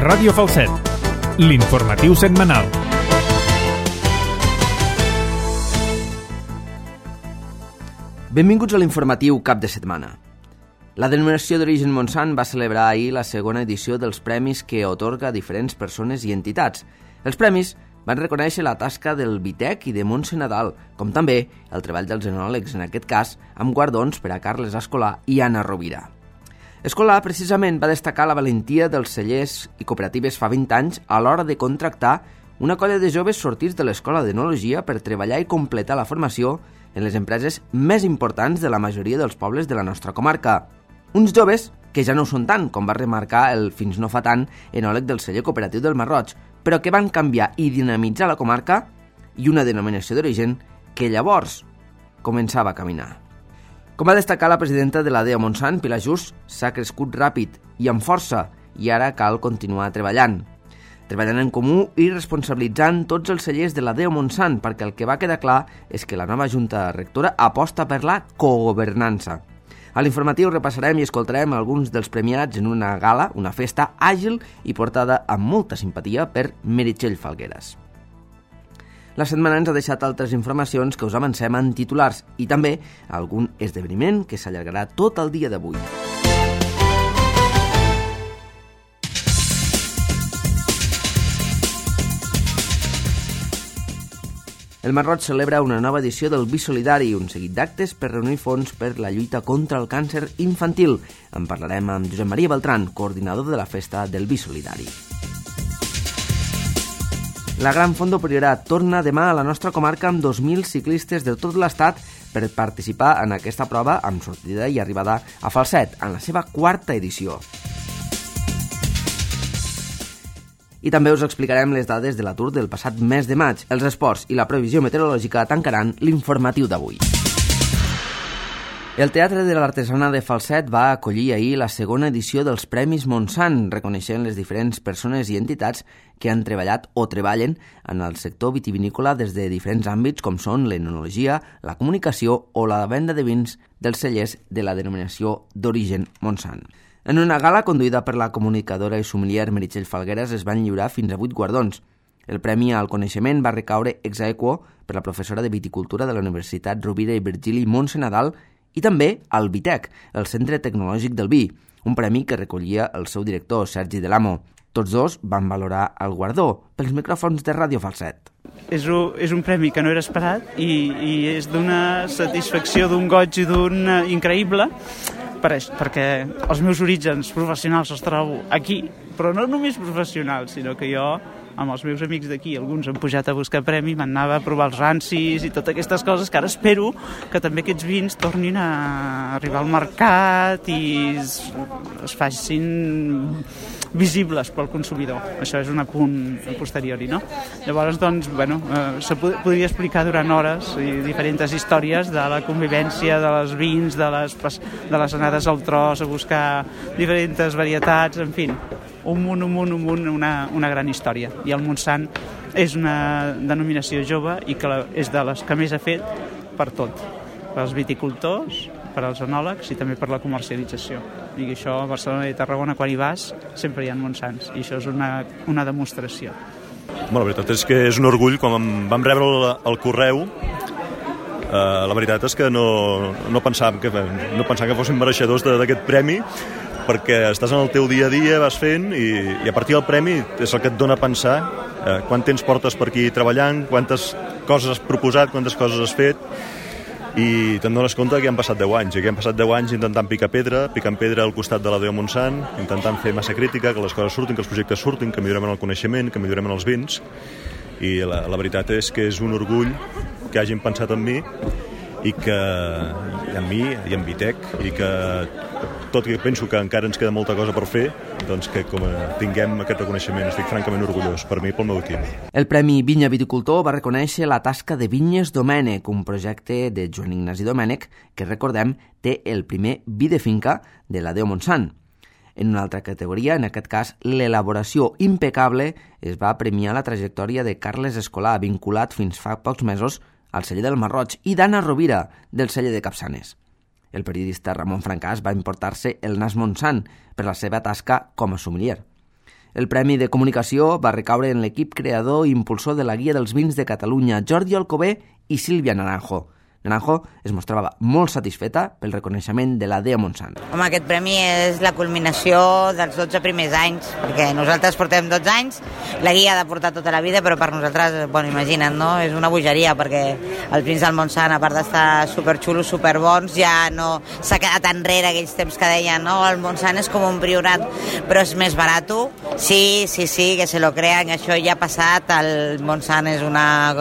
Ràdio Falset, l'informatiu setmanal. Benvinguts a l'informatiu cap de setmana. La denominació d'origen Montsant va celebrar ahir la segona edició dels premis que atorga a diferents persones i entitats. Els premis van reconèixer la tasca del Vitec i de Montse Nadal, com també el treball dels enòlegs, en aquest cas, amb guardons per a Carles Escolà i Anna Rovira. Escolà, precisament, va destacar la valentia dels cellers i cooperatives fa 20 anys a l'hora de contractar una colla de joves sortits de l'Escola d'Enologia per treballar i completar la formació en les empreses més importants de la majoria dels pobles de la nostra comarca. Uns joves que ja no ho són tant, com va remarcar el fins no fa tant enòleg del celler cooperatiu del Marroig, però que van canviar i dinamitzar la comarca i una denominació d'origen que llavors començava a caminar. Com va destacar la presidenta de la DEO Montsant, Pilar Just, s'ha crescut ràpid i amb força i ara cal continuar treballant en comú i responsabilitzant tots els cellers de la DEO Montsant, perquè el que va quedar clar és que la nova Junta Rectora aposta per la cogovernança. A l'informatiu repassarem i escoltarem alguns dels premiats en una gala, una festa àgil i portada amb molta simpatia per Meritxell Falgueres. La setmana ens ha deixat altres informacions que us avancem en titulars i també algun esdeveniment que s'allargarà tot el dia d'avui. El Marroig celebra una nova edició del Bisolidari, un seguit d'actes per reunir fons per la lluita contra el càncer infantil. En parlarem amb Josep Maria Beltran, coordinador de la festa del Bisolidari. La Gran Fondo Priorat torna demà a la nostra comarca amb 2.000 ciclistes de tot l'estat per participar en aquesta prova amb sortida i arribada a Falset, en la seva quarta edició. I també us explicarem les dades de l'atur del passat mes de maig. Els esports i la previsió meteorològica tancaran l'informatiu d'avui. El Teatre de l'Artesana de Falset va acollir ahir la segona edició dels Premis Montsant, reconeixent les diferents persones i entitats que han treballat o treballen en el sector vitivinícola des de diferents àmbits com són l'enologia, la comunicació o la venda de vins dels cellers de la denominació d'origen Montsant. En una gala conduïda per la comunicadora i sommelier Meritxell Falgueres es van lliurar fins a 8 guardons. El Premi al Coneixement va recaure ex aequo per la professora de Viticultura de la Universitat Rovira i Virgili Montse Nadal i també al Vitec, el Centre Tecnològic del Vi, un premi que recollia el seu director, Sergi Delamo. Tots dos van valorar el guardó pels micròfons de Ràdio Falset. És un premi que no era esperat i és d'una satisfacció, d'un goig i d'un increïble, perquè els meus orígens professionals els trobo aquí, però no només professionals, sinó que jo, amb els meus amics d'aquí, alguns han pujat a buscar premi, m'anava a provar els rancis i totes aquestes coses, que ara espero que també aquests vins tornin a arribar al mercat i es facin visibles pel consumidor. Això és un apunt a posteriori, no? Llavors, doncs, se podria explicar durant hores diferents històries de la convivència, de les vins, de les anades al tros, a buscar diferents varietats, en fi, un munt, una gran història. I el Montsant és una denominació jove i que és de les que més ha fet per tot, pels viticultors, per als enòlegs i també per la comercialització. I això a Barcelona i Tarragona, quan hi vas, sempre hi ha Montsants, i això és una demostració. La veritat és que és un orgull. Quan vam rebre el correu, la veritat és que no pensàvem que fóssim mereixedors d'aquest premi, perquè estàs en el teu dia a dia, vas fent, i a partir del premi és el que et dona a pensar quant temps portes per aquí treballant, quantes coses has proposat, quantes coses has fet, i te'n dones compte que han passat 10 anys, i que han passat 10 anys intentant picant pedra al costat de la DEO Montsant, intentant fer massa crítica, que les coses surtin, que els projectes surtin, que millorem en el coneixement, que millorem en els vins, i la veritat és que és un orgull que hagin pensat en mi, i en mi i en Vitec, i que tot i que penso que encara ens queda molta cosa per fer, doncs que com tinguem aquest reconeixement, estic francament orgullós per mi i pel meu equip. El Premi Vinya Viticultor va reconèixer la tasca de Vinyes Domènec, un projecte de Joan Ignasi Domènec que, recordem, té el primer vi de finca de la DEO Montsant. En una altra categoria, en aquest cas l'elaboració impecable, es va premiar la trajectòria de Carles Escolà, vinculat fins fa pocs mesos al celler del Marroig, i d'Anna Rovira, del celler de Capçanes. El periodista Ramon Francàs va emportar-se el Nas Montsant per la seva tasca com a sommelier. El Premi de Comunicació va recaure en l'equip creador i impulsor de la Guia dels Vins de Catalunya, Jordi Alcover i Sílvia Naranjo. Naranjo es mostrava molt satisfeta pel reconeixement de la DEA Montsant. Home, aquest premi és la culminació dels 12 primers anys, perquè nosaltres portem 12 anys, la guia ha de portar tota la vida, però per nosaltres, bueno, imagina't, no? És una bogeria, perquè els vins del Montsant, a part d'estar superxulos, superbons, ja no s'ha quedat enrere aquells temps que deien, no? El Montsant és com un priorat, però és més barat. Sí, que se lo crean, això ja ha passat, el Montsant és una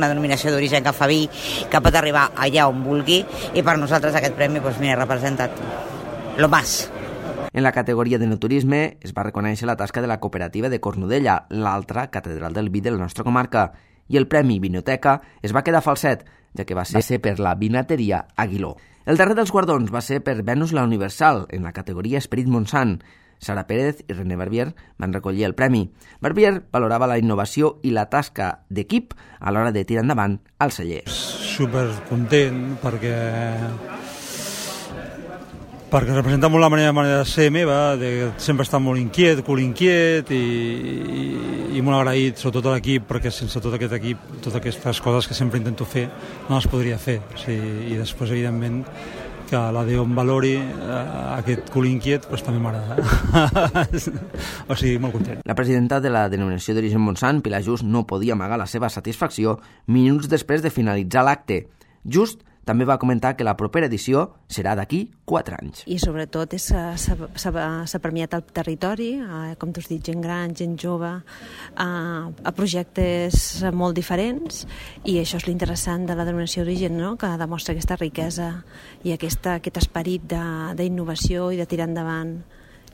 denominació d'origen que fa vi, que pot arribar allà on vulgui, i per nosaltres aquest premi representa lo más. En la categoria de no turisme es va reconèixer la tasca de la cooperativa de Cornudella, l'altra catedral del vi de la nostra comarca, i el premi Vinoteca es va quedar falset, ja que va ser per la vinateria Aguiló. El darrer dels guardons va ser per Venus la Universal, en la categoria Esperit Montsant. Sara Pérez i René Barbier van recollir el premi. Barbier valorava la innovació i la tasca d'equip a l'hora de tirar endavant el celler. Supercontent perquè representa molt la manera de ser meva, de sempre estar molt inquiet, cul inquiet i molt agraït, sobretot a l'equip, perquè sense tot aquest equip, totes aquestes coses que sempre intento fer, no les podria fer. O sigui, i després, evidentment, que la Déu em valori aquest cul inquiet, doncs també m'agrada. O sigui, molt content. La presidenta de la denominació d'origen Montsant, Pilar Just, no podia amagar la seva satisfacció minuts després de finalitzar l'acte. Just també va comentar que la propera edició serà d'aquí 4 anys. I sobretot s'ha premiat el territori, com tu has dit, gent gran, gent jove, a projectes molt diferents, i això és l'interessant de la denominació d'origen, no? Que demostra aquesta riquesa i aquest esperit d'innovació i de tirar endavant,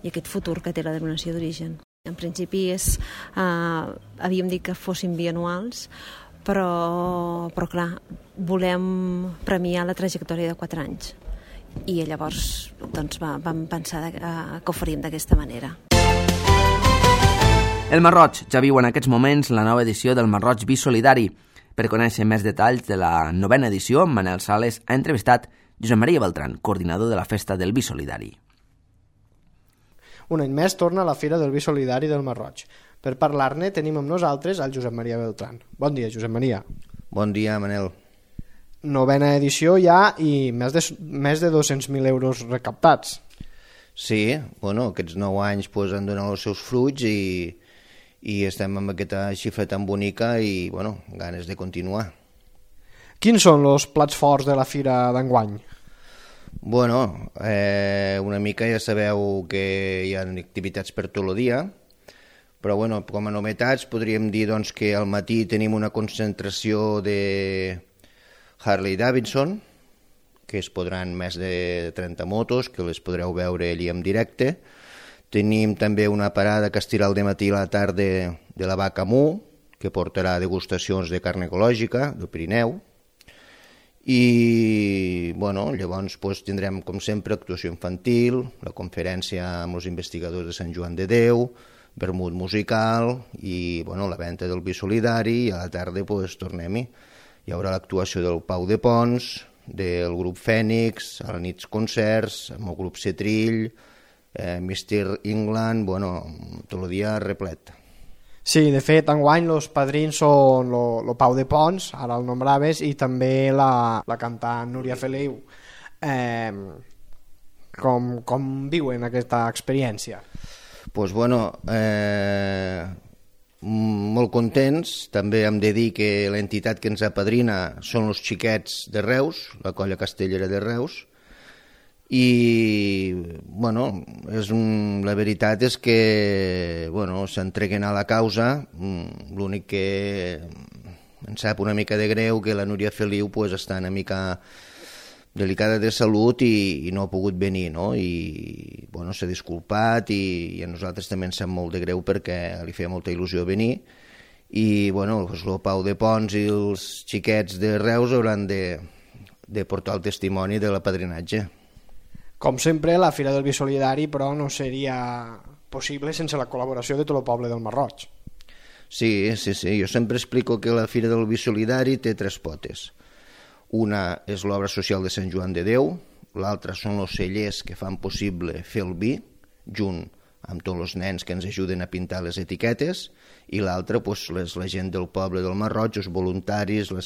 i aquest futur que té la denominació d'origen. En principi havíem dit que fossin bianuals, però clar, volem premiar la trajectòria de 4 anys, i llavors doncs, vam pensar que ho faríem d'aquesta manera. El Marroig ja viu en aquests moments la nova edició del Marroig Vi Solidari. Per conèixer més detalls de la 9a edició, Manel Sales ha entrevistat Josep Maria Beltran, coordinador de la festa del Vi Solidari. Un any més torna la Fira del Vi Solidari del Marroig. Per parlar-ne tenim amb nosaltres el Josep Maria Beltran. Bon dia, Josep Maria. Bon dia, Manel. 9a edició ja i més de 200.000 euros recaptats. Sí, bueno, aquests 9 anys han donat els seus fruits i estem amb aquesta xifra tan bonica i, bueno, ganes de continuar. Quins són els plats forts de la Fira d'enguany? Bueno, una mica ja sabeu que hi ha activitats per tot el dia, però bueno, com a novetats podríem dir doncs, que al matí tenim una concentració de Harley Davidson, que es podran més de 30 motos, que les podreu veure allí en directe. Tenim també una parada que estirà al dematí a la tarda de la Vaca Mu, que portarà degustacions de carn ecològica del Pirineu. I bueno, llavors tindrem, com sempre, actuació infantil, la conferència amb els investigadors de Sant Joan de Déu, vermut musical i bueno, la venda del vi solidari, i a la tarda tornem-hi. Hi haurà l'actuació del Pau de Pons, del grup Fènix, a la nit concerts, amb el grup Cetrill, Mr. England, bueno, tot el dia replet. Sí, de fet, enguany els padrins són el Pau de Pons, ara el nombraves, i també la cantant Núria Feliu. Com viuen aquesta experiència? Doncs bueno, molt contents. També hem de dir que l'entitat que ens apadrina són els xiquets de Reus, la colla castellera de Reus, i bueno, la veritat és que bueno, s'entreguen a la causa. L'únic que em sap una mica de greu que la Núria Feliu està una mica delicada de salut i no ha pogut venir, no? I bueno, s'ha disculpat i a nosaltres també ens sap molt de greu perquè li feia molta il·lusió venir, i bueno, el Pau de Pons i els xiquets de Reus hauran de portar el testimoni de l'apadrinatge. Com sempre, la Fira del Vi Solidari, però, no seria possible sense la col·laboració de tot el poble del Marroig. Sí, jo sempre explico que la Fira del Vi Solidari té 3 potes. Una és l'obra social de Sant Joan de Déu, l'altra són els cellers que fan possible fer el vi, junt amb tots els nens que ens ajuden a pintar les etiquetes, i l'altra la gent del poble del Masroig, els voluntaris, les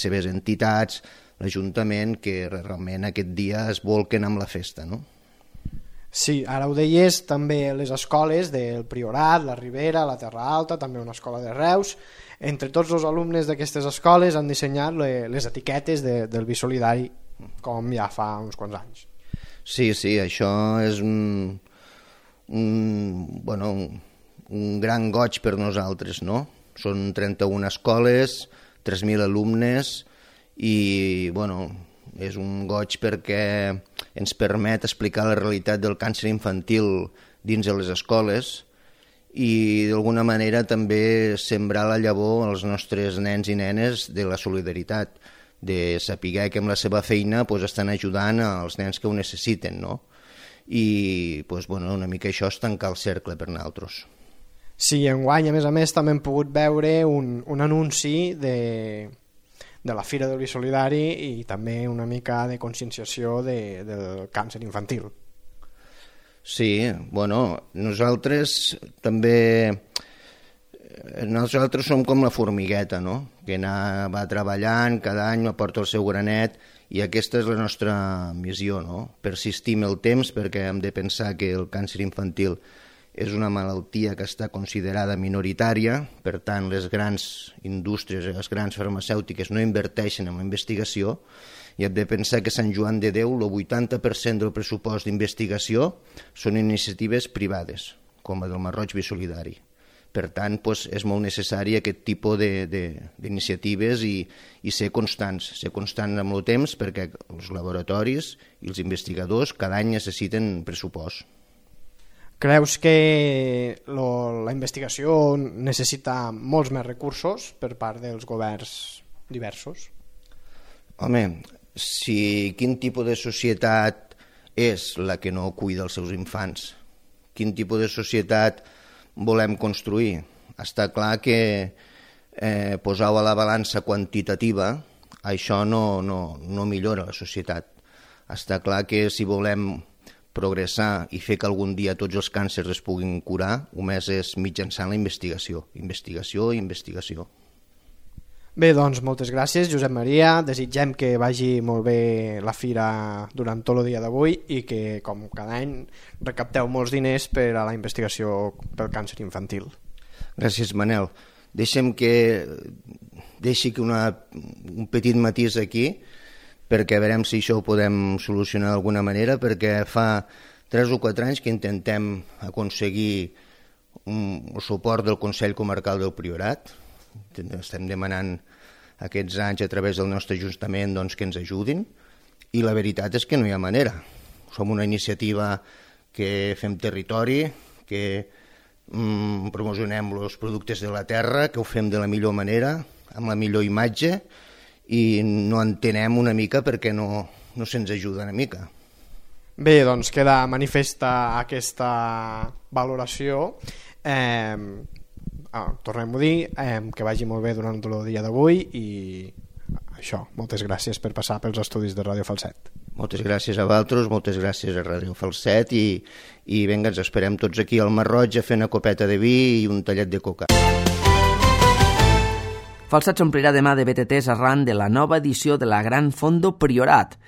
seves entitats, l'Ajuntament, que realment aquest dia es volquen amb la festa, no? Sí, ara ho deies, també les escoles del Priorat, la Ribera, la Terra Alta, també una escola de Reus. Entre tots els alumnes d'aquestes escoles han dissenyat les etiquetes del Vi Solidari, com ja fa uns quants anys. Sí, això és un gran goig per nosaltres, no? Són 31 escoles, 3.000 alumnes i, és un goig perquè ens permet explicar la realitat del càncer infantil dins de les escoles i d'alguna manera també sembrar la llavor als nostres nens i nenes de la solidaritat, de saber que amb la seva feina estan ajudant als nens que ho necessiten, no? I una mica això és tancar el cercle per nosaltres. Sí, enguany, a més, també hem pogut veure un anunci de la Fira del Vi Solidari i també una mica de conscienciació del càncer infantil. Sí, nosaltres som com la formigueta, no? Que va treballant, cada any aporta el seu granet i aquesta és la nostra missió, no? Persistir en el temps perquè hem de pensar que el càncer infantil és una malaltia que està considerada minoritària, per tant les grans indústries, les grans farmacèutiques no inverteixen en la investigació i hem de pensar que Sant Joan de Déu, el 80% del pressupost d'investigació són iniciatives privades, com la del Masroig Vi Solidari. Per tant, és molt necessari aquest tipus d'iniciatives i ser constants amb el temps perquè els laboratoris i els investigadors cada any necessiten pressupost. Creus que la investigació necessita molts més recursos per part dels governs diversos? Home, quin tipus de societat és la que no cuida els seus infants? Quin tipus de societat volem construir? Està clar que posar a la balança quantitativa això no millora la societat. Està clar que si volem progressar i fer que algun dia tots els càncers es puguin curar, només és mitjançant la investigació. Investigació. Bé, doncs moltes gràcies, Josep Maria. Desitgem que vagi molt bé la fira durant tot el dia d'avui i que, com cada any, recapteu molts diners per a la investigació pel càncer infantil. Gràcies, Manel. Deixi un petit matís aquí perquè veurem si això ho podem solucionar d'alguna manera, perquè fa 3 o 4 anys que intentem aconseguir el suport del Consell Comarcal del Priorat. Estem demanant aquests anys a través del nostre Ajuntament que ens ajudin i la veritat és que no hi ha manera. Som una iniciativa que fem territori, que promocionem els productes de la terra, que ho fem de la millor manera, amb la millor imatge, i no entenem una mica perquè no se'ns ajuda una mica. Bé, doncs queda manifesta aquesta valoració. Tornem a dir que vagi molt bé durant el dia d'avui i això, moltes gràcies per passar pels estudis de Ràdio Falset. Moltes gràcies a vosaltres, moltes gràcies a Ràdio Falset i vinga, ens esperem tots aquí al Masroig a fer una copeta de vi i un tallet de coca. Falset s'omplirà demà de BTTs arran de la nova edició de la Gran Fondo Priorat.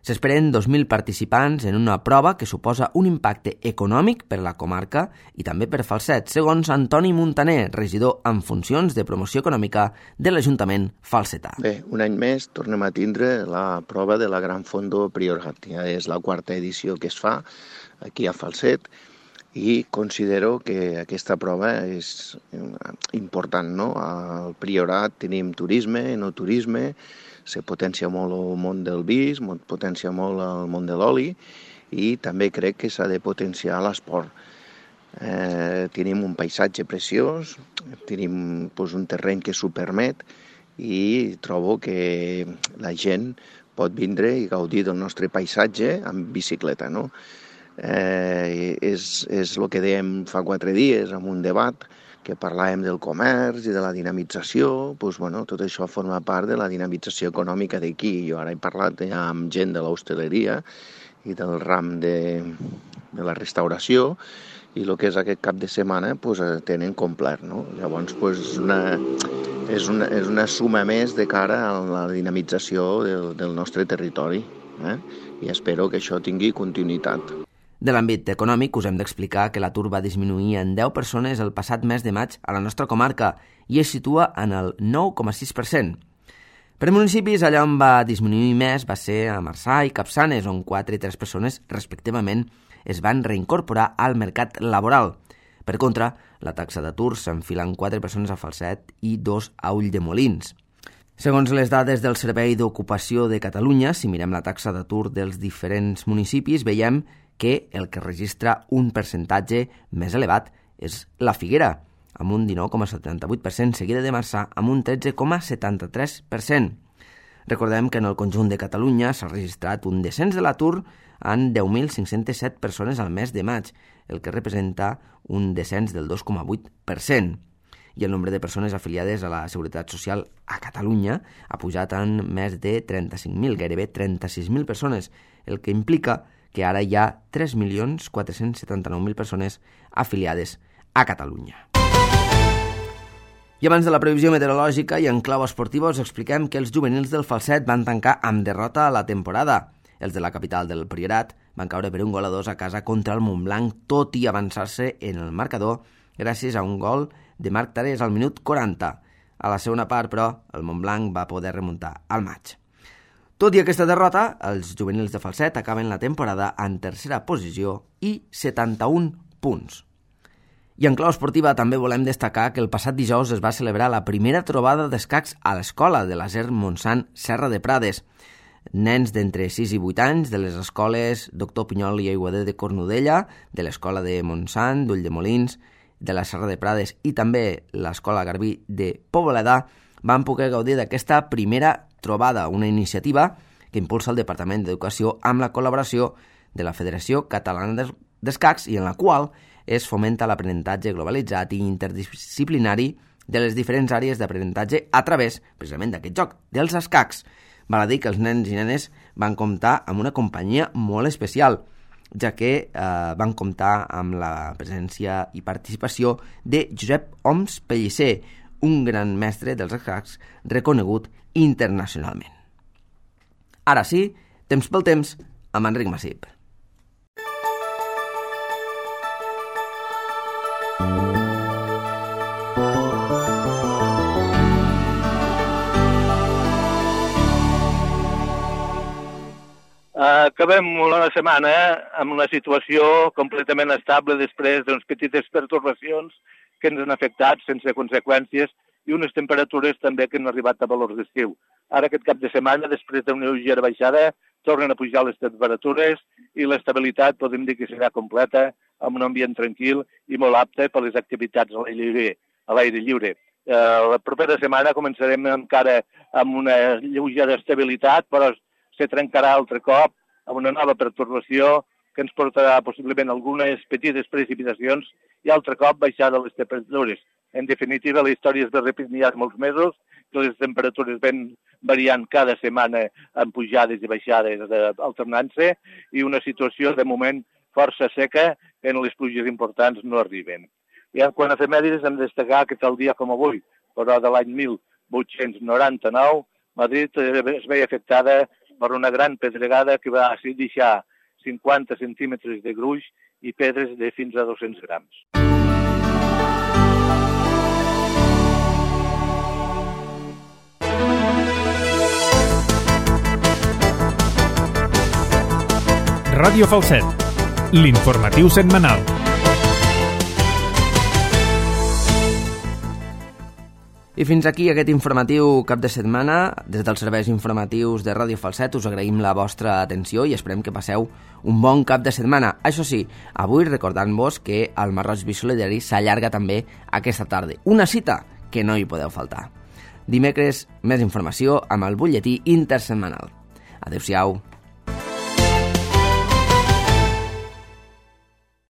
S'esperen 2.000 participants en una prova que suposa un impacte econòmic per la comarca i també per Falset, segons Antoni Muntaner, regidor en funcions de promoció econòmica de l'Ajuntament falsetà. Bé, un any més tornem a tindre la prova de la Gran Fondo Priorat. Ja és la 4ª edició que es fa aquí a Falset i considero que aquesta prova és important, no? Al Priorat tenim turisme, enoturisme, se potencia molt el món del vi, es potencia molt el món de l'oli i també crec que s'ha de potenciar l'esport. Tenim un paisatge preciós, tenim un terreny que s'ho permet i trobo que la gent pot vindre i gaudir del nostre paisatge amb bicicleta, no? És el que dèiem fa 4 dies en un debat que parlàvem del comerç i de la dinamització, tot això forma part de la dinamització econòmica d'aquí. Jo ara he parlat ja amb gent de l'hostaleria i del ram la restauració, i el que és aquest cap de setmana tenen complet, no? Llavors és una suma més de cara a la dinamització del nostre territori, i espero que això tingui continuïtat. De l'àmbit econòmic, us hem d'explicar que l'atur va disminuir en 10 persones el passat mes de maig a la nostra comarca i es situa en el 9,6%. Per municipis, allà on va disminuir més va ser a Marçà i Capçanes, on 4 i 3 persones, respectivament, es van reincorporar al mercat laboral. Per contra, la taxa d'atur s'enfila en 4 persones a Falset i 2 a Ulldemolins. Segons les dades del Servei d'Ocupació de Catalunya, si mirem la taxa d'atur dels diferents municipis, veiem que el que registra un percentatge més elevat és la Figuera, amb un 19,78%, seguida de Marçà amb un 13,73%. Recordem que en el conjunt de Catalunya s'ha registrat un descens de l'atur en 10.507 persones al mes de maig, el que representa un descens del 2,8%. I el nombre de persones afiliades a la Seguretat Social a Catalunya ha pujat en més de 35.000, gairebé 36.000 persones, el que implica que ara hi ha 3.479.000 persones afiliades a Catalunya. I abans de la previsió meteorològica i en clau esportiva us expliquem que els juvenils del Falset van tancar amb derrota a la temporada. Els de la capital del Priorat van caure per 1-2 a casa contra el Montblanc, tot i avançar-se en el marcador gràcies a un gol de Marc Tarés al minut 40. A la segona part, però, el Montblanc va poder remuntar al maig. Tot i aquesta derrota, els juvenils de Falset acaben la temporada en tercera posició i 71 punts. I en clau esportiva també volem destacar que el passat dijous es va celebrar la primera trobada d'escacs a l'escola de l'Aser Montsant Serra de Prades. Nens d'entre 6 i 8 anys de les escoles Doctor Pinyol i Aiguader de Cornudella, de l'escola de Montsant, d'Ulldemolins, de la Serra de Prades i també l'escola Garbí de Pobledà van poder gaudir d'aquesta primera trobada, una iniciativa que impulsa el Departament d'Educació amb la col·laboració de la Federació Catalana d'Escacs i en la qual es fomenta l'aprenentatge globalitzat i interdisciplinari de les diferents àrees d'aprenentatge a través, precisament, d'aquest joc, dels escacs. Val a dir que els nens i nenes van comptar amb una companyia molt especial, ja que van comptar amb la presència i participació de Josep Oms Pellicer, un gran mestre dels escacs reconegut internacionalment. Ara sí, temps pel temps, amb Enric Massip. Acabem la setmana amb una situació completament estable després d'unes petites pertorbacions que ens han afectat sense conseqüències i unes temperatures també que han arribat a valors d'estiu. Ara aquest cap de setmana, després d'una lleugera baixada, tornen a pujar les temperatures i l'estabilitat podem dir que serà completa, amb un ambient tranquil i molt apte per les activitats a l'aire lliure. La propera setmana començarem encara amb una lleugera estabilitat, però se trencarà altre cop amb una nova pertorbació que ens portarà possiblement algunes petites precipitacions i altre cop baixada les temperatures. En definitiva, la història es va repetint ja molts mesos, que les temperatures ven variant cada setmana amb pujades i baixades alternant-se i una situació de moment força seca en les pluges importants no arriben. I quan a efemèrides hem de destacar que tal dia com avui, però de l'any 1899, Madrid es veia afectada per una gran pedregada que va deixar 50 centímetres de gruix i pedres de fins a 200 grams. Ràdio Falset, l'informatiu setmanal. I fins aquí aquest informatiu cap de setmana. Des dels serveis informatius de Ràdio Falset us agraïm la vostra atenció i esperem que passeu un bon cap de setmana. Això sí, avui recordant-vos que el Marroig Bisolidari s'allarga també aquesta tarda. Una cita que no hi podeu faltar. Dimecres, més informació amb el butlletí intersetmanal. Adéu-siau.